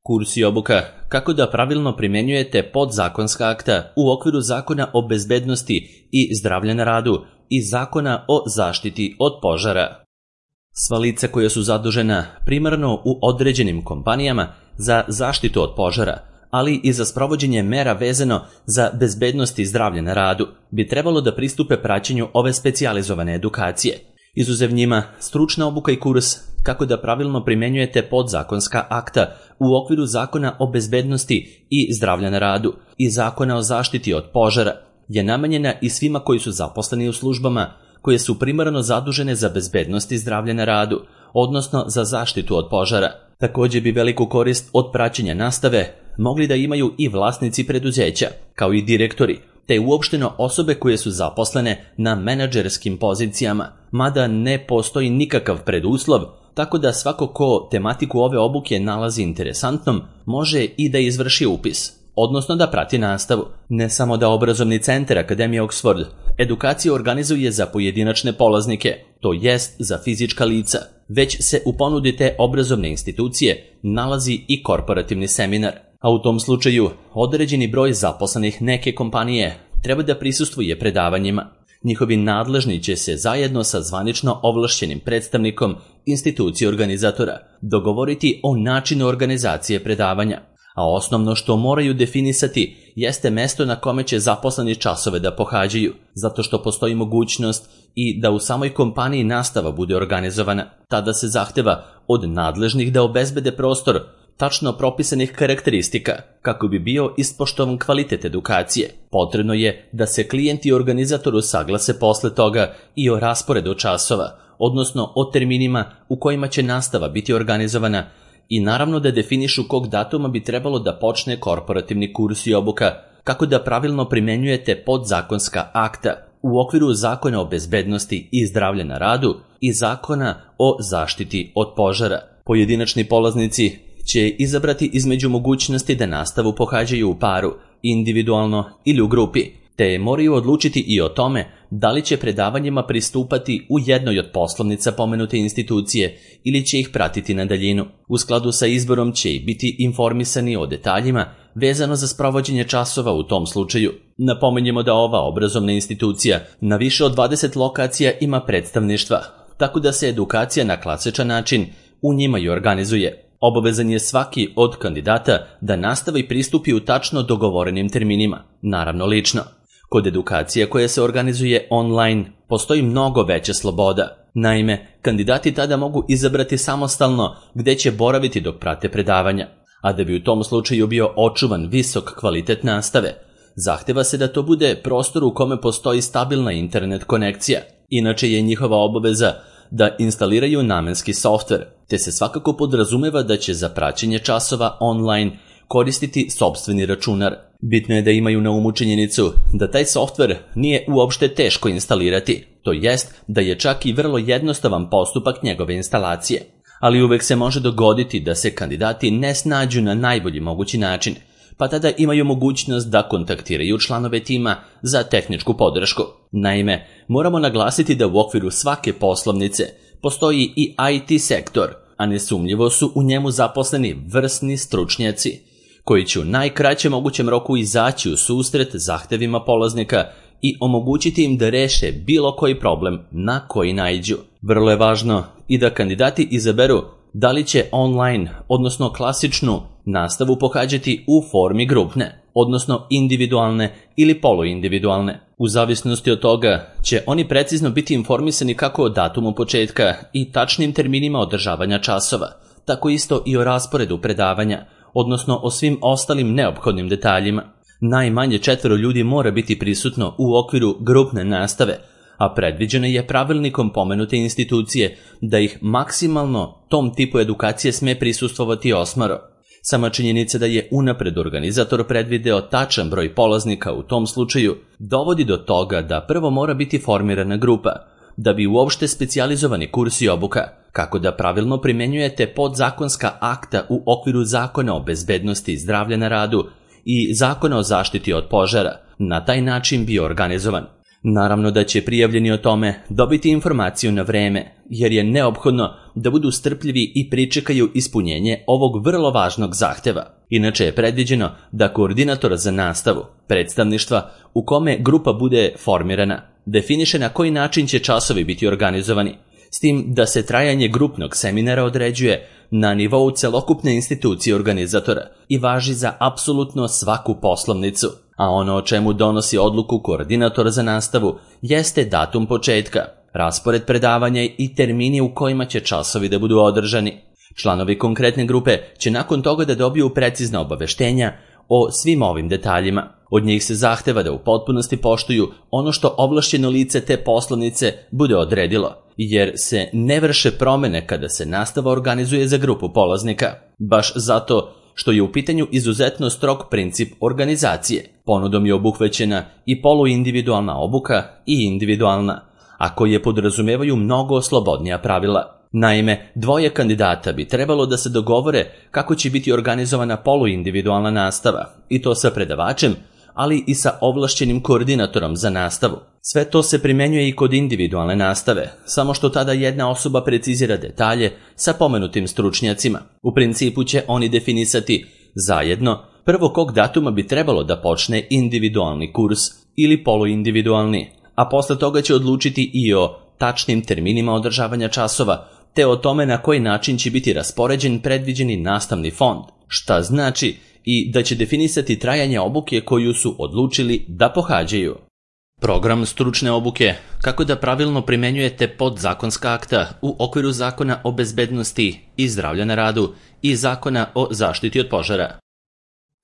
Kurs i obuka kako da pravilno primjenjujete podzakonska akta u okviru Zakona o bezbednosti i zdravlja na radu i Zakona o zaštiti od požara. Sva lica koja su zadužena primarno u određenim kompanijama za zaštitu od požara, ali i za sprovođenje mera vezano za bezbednost i zdravlje na radu, bi trebalo da pristupe praćenju ove specijalizovane edukacije. Izuzev njima, stručna obuka i kurs kako da pravilno primjenjujete podzakonska akta u okviru Zakona o bezbednosti i zdravlja na radu i Zakona o zaštiti od požara je namenjena i svima koji su zaposleni u službama koje su primarno zadužene za bezbednost i zdravlje na radu, odnosno za zaštitu od požara. Također bi veliku korist od praćenja nastave mogli da imaju i vlasnici preduzeća, kao i direktori, te uopšteno osobe koje su zaposlene na menadžerskim pozicijama, mada ne postoji nikakav preduslov, tako da svako ko tematiku ove obuke nalazi interesantnom može i da izvrši upis, odnosno da prati nastavu. Ne samo da obrazovni centar Akademije Oxford edukaciju organizuje za pojedinačne polaznike, to jest za fizička lica, već se u ponudi te obrazovne institucije nalazi i korporativni seminar. A u tom slučaju određeni broj zaposlenih neke kompanije treba da prisustvuje predavanjima. Njihovi nadležni će se zajedno sa zvanično ovlašćenim predstavnikom institucije organizatora dogovoriti o načinu organizacije predavanja, a osnovno što moraju definisati jeste mesto na kome će zaposleni časove da pohađaju, zato što postoji mogućnost i da u samoj kompaniji nastava bude organizovana. Tada se zahteva od nadležnih da obezbede prostor tačno propisanih karakteristika kako bi bio ispoštovan kvalitet edukacije. Potrebno je da se klijent i organizatoru saglase posle toga i o rasporedu časova, odnosno o terminima u kojima će nastava biti organizovana i naravno da definišu kog datuma bi trebalo da počne korporativni kurs i obuka kako da pravilno primenjujete podzakonska akta u okviru Zakona o bezbednosti i zdravlja na radu i Zakona o zaštiti od požara. Pojedinačni polaznici će izabrati između mogućnosti da nastavu pohađaju u paru, individualno ili u grupi, te moraju odlučiti i o tome da li će predavanjima pristupati u jednoj od poslovnica pomenute institucije ili će ih pratiti na daljinu. U skladu sa izborom će i biti informisani o detaljima vezano za sprovođenje časova u tom slučaju. Napomenjemo da ova obrazovna institucija na više od 20 lokacija ima predstavništva, tako da se edukacija na klasičan način u njima i organizuje. Obavezan je svaki od kandidata da nastavi pristupi u tačno dogovorenim terminima, naravno lično. Kod edukacije koja se organizuje online postoji mnogo veća sloboda. Naime, kandidati tada mogu izabrati samostalno gde će boraviti dok prate predavanja, a da bi u tom slučaju bio očuvan visok kvalitet nastave, zahteva se da to bude prostor u kome postoji stabilna internet konekcija. Inače je njihova obaveza da instaliraju namenski softver, te se svakako podrazumeva da će za praćenje časova online koristiti sopstveni računar. Bitno je da imaju na umu činjenicu da taj softver nije uopšte teško instalirati, to jest da je čak i vrlo jednostavan postupak njegove instalacije. Ali uvek se može dogoditi da se kandidati ne snađu na najbolji mogući način, pa tada imaju mogućnost da kontaktiraju članove tima za tehničku podršku. Naime, moramo naglasiti da u okviru svake poslovnice postoji i IT sektor, a nesumnjivo su u njemu zaposleni vrsni stručnjaci, koji će u najkraćem mogućem roku izaći u susret zahtevima polaznika i omogućiti im da reše bilo koji problem na koji naiđu. Vrlo je važno i da kandidati izaberu da li će online, odnosno klasičnu nastavu pohađati u formi grupne, odnosno individualne ili poluindividualne. U zavisnosti od toga će oni precizno biti informisani kako o datumu početka i tačnim terminima održavanja časova, tako isto i o rasporedu predavanja, odnosno o svim ostalim neophodnim detaljima. Najmanje 4 ljudi mora biti prisutno u okviru grupne nastave, a predviđeno je pravilnikom pomenute institucije da ih maksimalno tom tipu edukacije sme prisustvovati 8. Sama činjenica da je unapred organizator predvideo tačan broj polaznika u tom slučaju dovodi do toga da prvo mora biti formirana grupa, da bi uopšte specijalizovani kurs i obuka kako da pravilno primenjujete podzakonska akta u okviru Zakona o bezbednosti i zdravlja na radu i Zakona o zaštiti od požara na taj način bio organizovan. Naravno da će prijavljeni o tome dobiti informaciju na vreme, jer je neophodno da budu strpljivi i pričekaju ispunjenje ovog vrlo važnog zahteva. Inače je predviđeno da koordinator za nastavu, predstavništva u kome grupa bude formirana, definiše na koji način će časovi biti organizovani, s tim da se trajanje grupnog seminara određuje na nivou celokupne institucije organizatora i važi za apsolutno svaku poslovnicu, a ono o čemu donosi odluku koordinator za nastavu jeste datum početka, raspored predavanja i termini u kojima će časovi da budu održani. Članovi konkretne grupe će nakon toga da dobiju precizna obaveštenja o svim ovim detaljima. Od njih se zahteva da u potpunosti poštuju ono što ovlašćeno lice te poslovnice bude odredilo, jer se ne vrše promene kada se nastava organizuje za grupu polaznika, baš zato što je u pitanju izuzetno strog princip organizacije. Ponudom je obuhvaćena i poluindividualna obuka i individualna, a koje podrazumevaju mnogo slobodnija pravila. Naime, dvoje kandidata bi trebalo da se dogovore kako će biti organizovana poluindividualna nastava, i to sa predavačem, ali i sa ovlašćenim koordinatorom za nastavu. Sve to se primenjuje i kod individualne nastave, samo što tada jedna osoba precizira detalje sa pomenutim stručnjacima. U principu će oni definisati zajedno prvo kog datuma bi trebalo da počne individualni kurs ili poluindividualni, a posle toga će odlučiti i o tačnim terminima održavanja časova, te o tome na koji način će biti raspoređen predviđeni nastavni fond, šta znači i da će definisati trajanje obuke koju su odlučili da pohađaju. Program stručne obuke, kako da pravilno primenjujete podzakonska akta u okviru Zakona o bezbednosti i zdravlja na radu i Zakona o zaštiti od požara.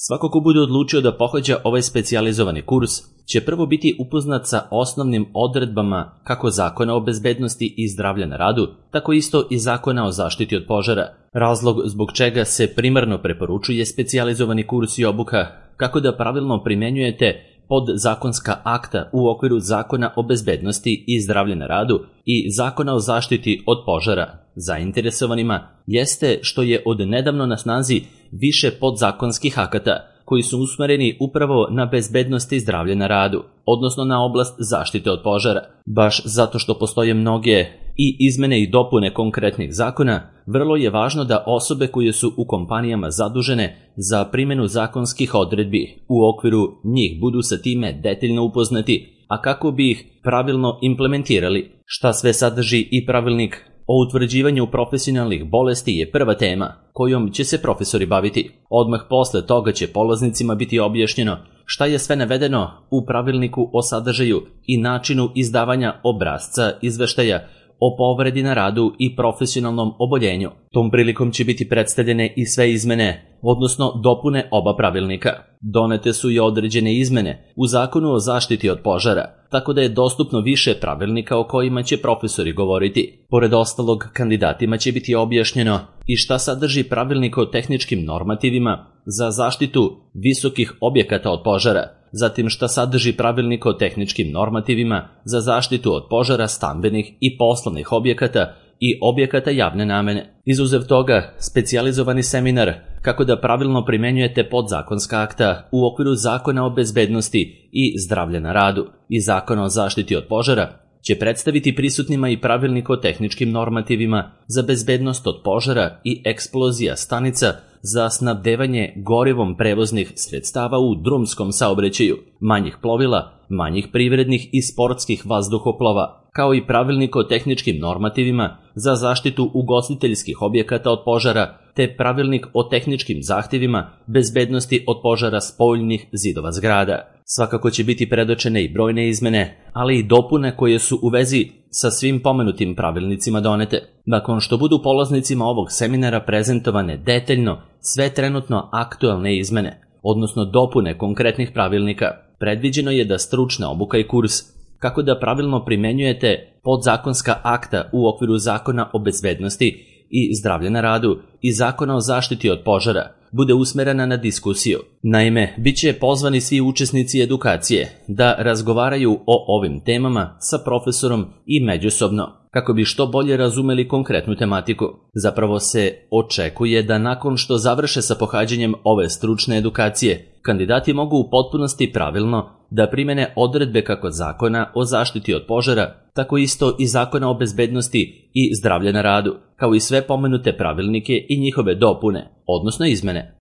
Svako ko bude odlučio da pohađa ovaj specijalizovani kurs će prvo biti upoznat sa osnovnim odredbama kako Zakona o bezbednosti i zdravlja na radu, tako isto i Zakona o zaštiti od požara. Razlog zbog čega se primarno preporučuje specijalizovani kurs i obuka, kako da pravilno primenjujete podzakonska akta u okviru Zakona o bezbednosti i zdravlja na radu i Zakona o zaštiti od požara zainteresovanima, jeste što je od nedavno na snazi više podzakonskih akata koji su usmereni upravo na bezbednost i zdravlje na radu, odnosno na oblast zaštite od požara. Baš zato što postoje mnoge i izmene i dopune konkretnih zakona, vrlo je važno da osobe koje su u kompanijama zadužene za primjenu zakonskih odredbi u okviru njih budu sa time detaljno upoznati, a kako bi ih pravilno implementirali. Šta sve sadrži i pravilnik o utvrđivanju profesionalnih bolesti je prva tema kojom će se profesori baviti. Odmah posle toga će polaznicima biti objašnjeno šta je sve navedeno u pravilniku o sadržaju i načinu izdavanja obrasca izveštaja o povredi na radu i profesionalnom oboljenju. Tom prilikom će biti predstavljene i sve izmene, odnosno dopune oba pravilnika. Donete su i određene izmene u Zakonu o zaštiti od požara, tako da je dostupno više pravilnika o kojima će profesori govoriti. Pored ostalog, kandidatima će biti objašnjeno i šta sadrži pravilnik o tehničkim normativima za zaštitu visokih objekata od požara, zatim šta sadrži pravilnik o tehničkim normativima za zaštitu od požara stambenih i poslovnih objekata i objekata javne namene. Izuzev toga, specijalizovani seminar kako da pravilno primenjujete podzakonska akta u okviru Zakona o bezbednosti i zdravlja na radu i Zakona o zaštiti od požara će predstaviti prisutnima i pravilnik o tehničkim normativima za bezbednost od požara i eksplozija stanica za snabdevanje gorivom prevoznih sredstava u drumskom saobraćaju, manjih plovila, manjih privrednih i sportskih vazduhoplova, kao i pravilnik o tehničkim normativima za zaštitu ugostiteljskih objekata od požara, te pravilnik o tehničkim zahtjevima bezbednosti od požara spoljnih zidova zgrada. Svakako će biti predočene i brojne izmene, ali i dopune koje su u vezi sa svim pomenutim pravilnicima donete. Nakon što budu polaznicima ovog seminara prezentovane detaljno sve trenutno aktualne izmene, odnosno dopune konkretnih pravilnika, predviđeno je da stručna obuka i kurs kako da pravilno primenjujete podzakonska akta u okviru Zakona o bezbednosti i zdravlja na radu i Zakona o zaštiti od požara bude usmerena na diskusiju. Naime, bit će pozvani svi učesnici edukacije da razgovaraju o ovim temama sa profesorom i međusobno, kako bi što bolje razumeli konkretnu tematiku. Zapravo se očekuje da nakon što završe sa pohađanjem ove stručne edukacije, kandidati mogu u potpunosti pravilno da primene odredbe kako Zakona o zaštiti od požara, tako isto i Zakona o bezbednosti i zdravlja na radu, kao i sve pomenute pravilnike i njihove dopune, odnosno izmene.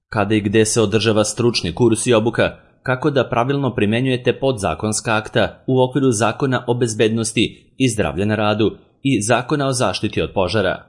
Kada i gde se održava stručni kurs i obuka, kako da pravilno primenjujete podzakonska akta u okviru Zakona o bezbednosti i zdravlja na radu i Zakona o zaštiti od požara.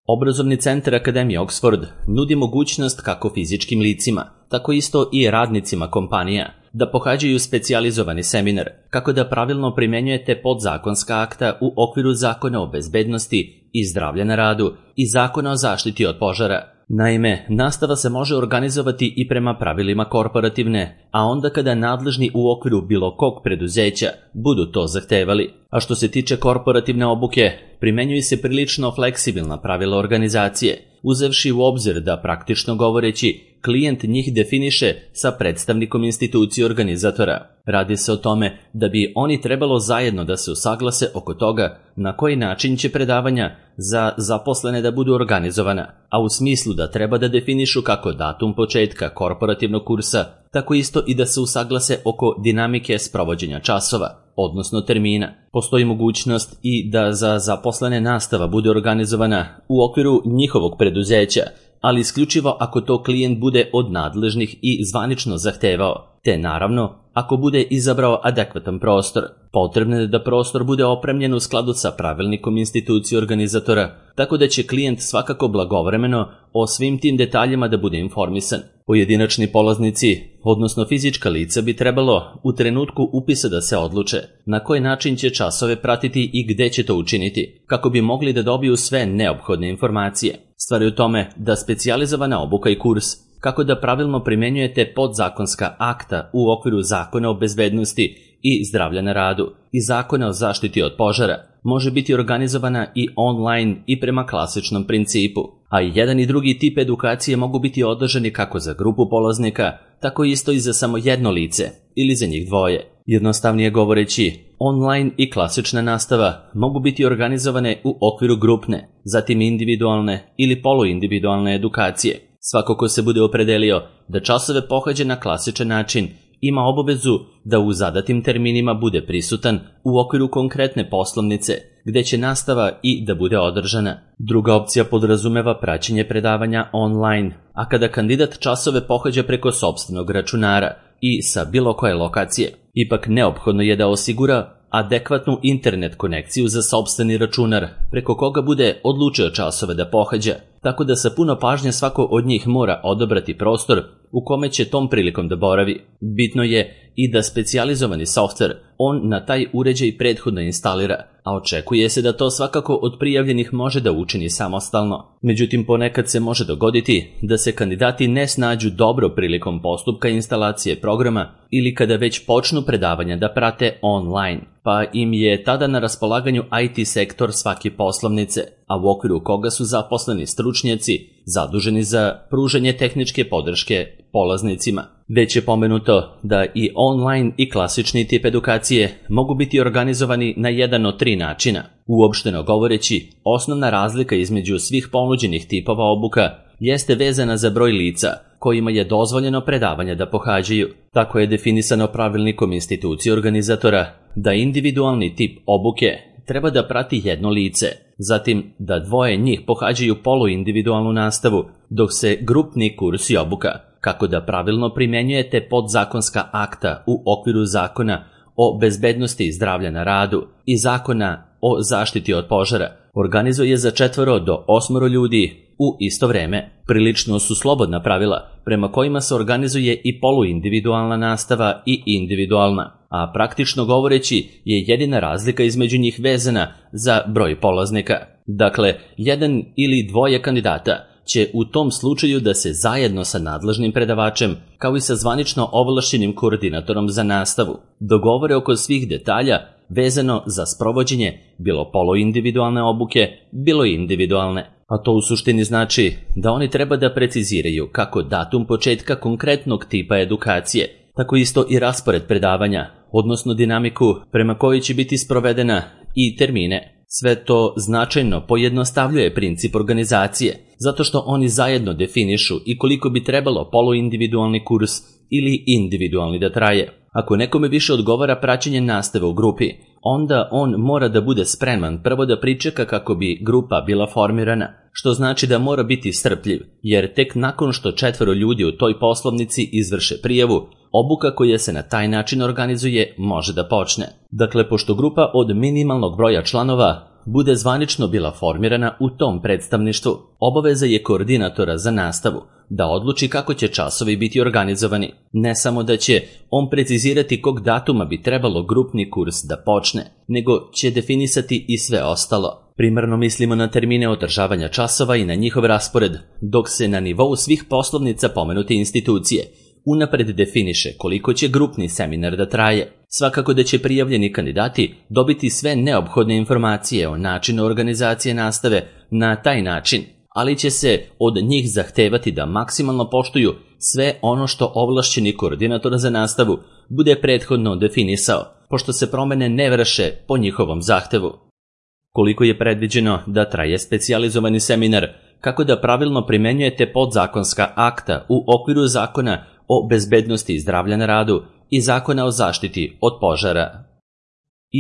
Obrazovni centar Akademije Oxford nudi mogućnost kako fizičkim licima, tako isto i radnicima kompanija da pohađaju specijalizovani seminar kako da pravilno primenjujete podzakonska akta u okviru Zakona o bezbednosti i zdravlja na radu i Zakona o zaštiti od požara. Naime, nastava se može organizovati i prema pravilima korporativne, a onda kada nadležni u okviru bilo kog preduzeća budu to zahtevali. A što se tiče korporativne obuke, primenjuju se prilično fleksibilna pravila organizacije, uzevši u obzir da praktično govoreći klijent njih definiše sa predstavnikom institucije organizatora. Radi se o tome da bi oni trebalo zajedno da se usaglase oko toga na koji način će predavanja za zaposlene da budu organizovana, a u smislu da treba da definišu kako datum početka korporativnog kursa, tako isto i da se usaglase oko dinamike sprovođenja časova, odnosno termina. Postoji mogućnost i da za zaposlene nastava bude organizovana u okviru njihovog preduzeća, ali isključivo ako to klijent bude od nadležnih i zvanično zahtevao, te naravno ako bude izabrao adekvatan prostor. Potrebno je da prostor bude opremljen u skladu sa pravilnikom institucije organizatora, tako da će klijent svakako blagovremeno o svim tim detaljima da bude informisan. Pojedinačni polaznici, odnosno fizička lica, bi trebalo u trenutku upisa da se odluče na koji način će časove pratiti i gde će to učiniti, kako bi mogli da dobiju sve neophodne informacije. Stvar je u tome da specijalizovana obuka i kurs kako da pravilno primenjujete podzakonska akta u okviru Zakona o bezbednosti i zdravlja na radu i Zakona o zaštiti od požara može biti organizovana i online i prema klasičnom principu, a i jedan i drugi tip edukacije mogu biti održani kako za grupu polaznika, tako isto i za samo jedno lice ili za njih dvoje. Jednostavnije govoreći, online i klasična nastava mogu biti organizovane u okviru grupne, zatim individualne ili poluindividualne edukacije. Svako ko se bude opredelio da časove pohađa na klasičan način ima obavezu da u zadatim terminima bude prisutan u okviru konkretne poslovnice gde će nastava i da bude održana. Druga opcija podrazumeva praćenje predavanja online, a kada kandidat časove pohađa preko sopstvenog računara i sa bilo koje lokacije, ipak neophodno je da osigura adekvatnu internet konekciju za sopstveni računar preko koga bude odlučio časove da pohađa, tako da sa puno pažnje svako od njih mora odabrati prostor u kome će tom prilikom da boravi. Bitno je i da specijalizovani softver on na taj uređaj prethodno instalira, a očekuje se da to svakako od prijavljenih može da učini samostalno. Međutim, ponekad se može dogoditi da se kandidati ne snađu dobro prilikom postupka instalacije programa ili kada već počnu predavanja da prate online, pa im je tada na raspolaganju IT sektor svake poslovnice, a u okviru koga su zaposleni stručnjaci zaduženi za pružanje tehničke podrške polaznicima. Već je pomenuto da i online i klasični tip edukacije mogu biti organizovani na jedan od 3 načina. Uopšteno govoreći, osnovna razlika između svih ponuđenih tipova obuka jeste vezana za broj lica kojima je dozvoljeno predavanja da pohađaju. Tako je definisano pravilnikom institucije organizatora da individualni tip obuke treba da prati jedno lice, zatim da 2 njih pohađaju poluindividualnu nastavu, dok se grupni kurs i obuka kako da pravilno primenjujete podzakonska akta u okviru Zakona o bezbednosti i zdravlja na radu i Zakona o zaštiti od požara organizuje za 4 do 8 ljudi u isto vreme. Prilično su slobodna pravila prema kojima se organizuje i poluindividualna nastava i individualna, a praktično govoreći je jedina razlika između njih vezana za broj polaznika. Dakle, 1 ili 2 kandidata će u tom slučaju da se zajedno sa nadležnim predavačem, kao i sa zvanično ovlašćenim koordinatorom za nastavu, dogovore oko svih detalja vezano za sprovođenje bilo poluindividualne obuke, bilo individualne. A to u suštini znači da oni treba da preciziraju kako datum početka konkretnog tipa edukacije, tako isto i raspored predavanja, odnosno dinamiku prema kojoj će biti sprovedena i termine. Sve to značajno pojednostavljuje princip organizacije, zato što oni zajedno definišu i koliko bi trebalo poluindividualni kurs ili individualni da traje. Ako nekome više odgovara praćenje nastave u grupi, onda on mora da bude spreman prvo da pričeka kako bi grupa bila formirana, što znači da mora biti strpljiv, jer tek nakon što 4 ljudi u toj poslovnici izvrše prijavu, obuka koja se na taj način organizuje može da počne. Dakle, pošto grupa od minimalnog broja članova bude zvanično bila formirana u tom predstavništvu, obaveza je koordinatora za nastavu da odluči kako će časovi biti organizovani. Ne samo da će on precizirati kog datuma bi trebalo grupni kurs da počne, nego će definisati i sve ostalo. Primarno mislimo na termine održavanja časova i na njihov raspored, dok se na nivou svih poslovnica pomenute institucije unapred definiše koliko će grupni seminar da traje. Svakako da će prijavljeni kandidati dobiti sve neophodne informacije o načinu organizacije nastave na taj način, ali će se od njih zahtevati da maksimalno poštuju sve ono što ovlašćeni koordinator za nastavu bude prethodno definisao, pošto se promene ne vrše po njihovom zahtevu. Koliko je predviđeno da traje specijalizovani seminar, kako da pravilno primenjujete podzakonska akta u okviru Zakona o bezbednosti i zdravlja na radu i Zakona o zaštiti od požara.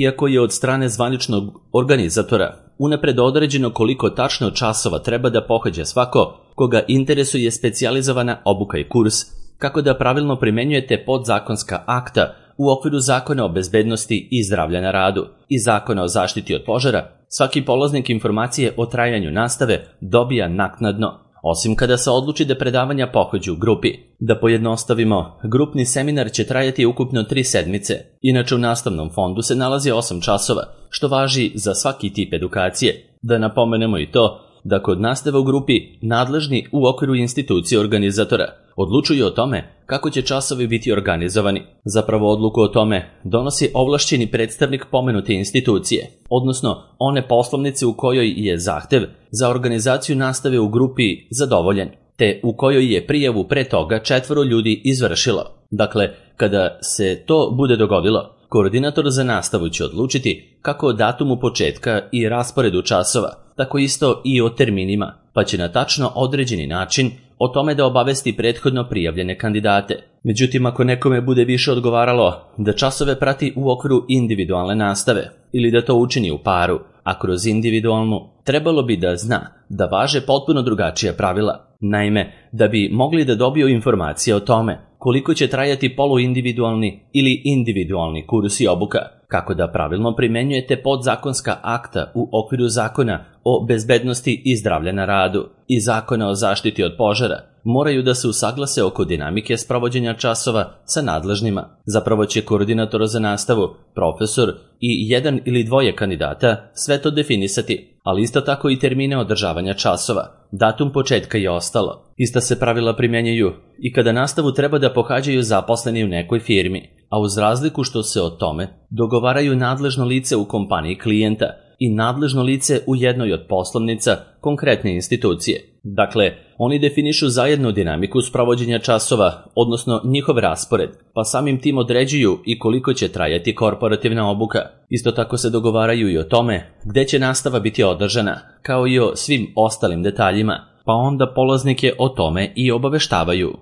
Iako je od strane zvaničnog organizatora unapred određeno koliko tačno časova treba da pohađa svako koga interesuje specijalizovana obuka i kurs, kako da pravilno primenjujete podzakonska akta u okviru Zakona o bezbednosti i zdravlja na radu i Zakona o zaštiti od požara, svaki polaznik informacije o trajanju nastave dobija naknadno, osim kada se odluči da predavanja pohađu u grupi. Da pojednostavimo, grupni seminar će trajati ukupno 3 sedmice. Inače u nastavnom fondu se nalazi 8 časova, što važi za svaki tip edukacije. Da napomenemo i to da kod nastave u grupi nadležni u okviru institucije organizatora odlučuju o tome kako će časovi biti organizovani. Zapravo odluku o tome donosi ovlašćeni predstavnik pomenute institucije, odnosno one poslovnice u kojoj je zahtev za organizaciju nastave u grupi zadovoljen, te u kojoj je prijavu pre toga 4 ljudi izvršilo. Dakle, kada se to bude dogodilo, koordinator za nastavu će odlučiti kako o datumu početka i rasporedu časova, tako isto i o terminima, pa će na tačno određeni način o tome da obavesti prethodno prijavljene kandidate. Međutim, ako nekome bude više odgovaralo da časove prati u okviru individualne nastave ili da to učini u paru, a kroz individualnu, trebalo bi da zna da važe potpuno drugačija pravila. Naime, da bi mogli da dobiju informacije o tome koliko će trajati poluindividualni ili individualni kurs i obuka, kako da pravilno primenjujete podzakonska akta u okviru Zakona o bezbednosti i zdravlja na radu i Zakona o zaštiti od požara, moraju da se usaglase oko dinamike sprovođenja časova sa nadležnima. Zapravo će koordinator za nastavu, profesor i 1 ili 2 kandidata sve to definisati, ali isto tako i termine održavanja časova, datum početka i ostalo. Ista se pravila primjenjuju i kada nastavu treba da pohađaju zaposleni u nekoj firmi, a uz razliku što se o tome dogovaraju nadležno lice u kompaniji klijenta i nadležno lice u jednoj od poslovnica konkretne institucije. Dakle, oni definišu zajedno dinamiku sprovođenja časova, odnosno njihov raspored, pa samim tim određuju i koliko će trajati korporativna obuka. Isto tako se dogovaraju i o tome gde će nastava biti održana, kao i o svim ostalim detaljima, pa onda polaznike o tome i obaveštavaju.